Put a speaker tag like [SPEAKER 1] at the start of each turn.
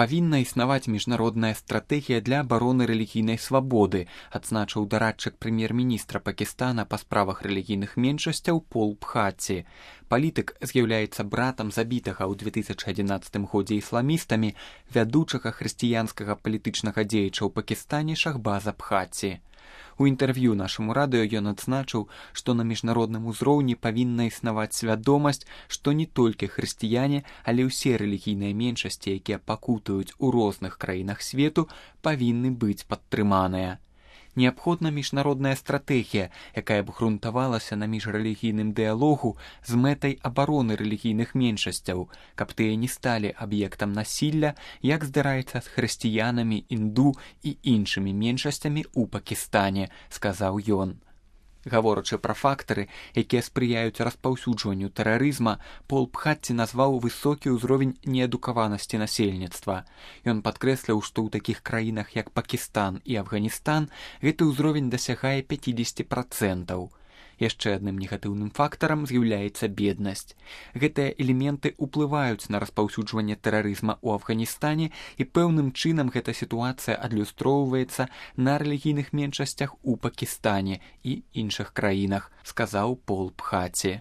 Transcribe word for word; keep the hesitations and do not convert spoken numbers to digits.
[SPEAKER 1] Павінна існаваць міжнародная стратэгія для абароны рэлігійнай свабоды, адзначыў дарадчык прэм'ер-міністра Пакістана па справах рэлігійных меншасцяў Пол Бхатці. Палітык з'яўляецца братам забітага ў две тысячы адзінаццатым годзе ісламістамі вядучага хрысціянскага палітычнага дзеяча ў Пакістане Шахбаза Бхатці. У інтэрв'ю нашаму радыё ён адзначыў, што на міжнародным узроўні павінна існаваць свядомасць, што не толькі хрысціяне, але ўсе рэлігійныя меншасці, якія пакутаюць у розных краінах свету, павінны быць падтрыманыя. Неабходна міжнародная стратэгія, якая б грунтавалася на міжрэлігійным дыялогу з мэтай абароны рэлігійных меншасцяў, каб тыя не сталі аб'ектам насілля, як здараецца з хрысціянамі, інду і іншымі меншасцямі ў Пакістане, сказаў ён. Гаворачы пра фактары, якія спрыяюць распаўсюджванню тэрарызма, Пол Бхатці назваў высокі ўзровень неадукаванасці насельніцтва. Ён падкрэсліў, што ў такіх краінах, як Пакістан і Афганістан, гэты ўзровень дасягае пяцьдзесят працэнтаў. Яшчэ адным негатыўным фактарам з'яўляецца беднасць. Гэтыя элементы ўплываюць на распаўсюджванне тэрарызма ў Афганістане, і пэўным чынам гэта сітуацыя адлюстроўваецца на рэлігійных меншасцях у Пакістане і іншых краінах, сказаў Пол Бхатці.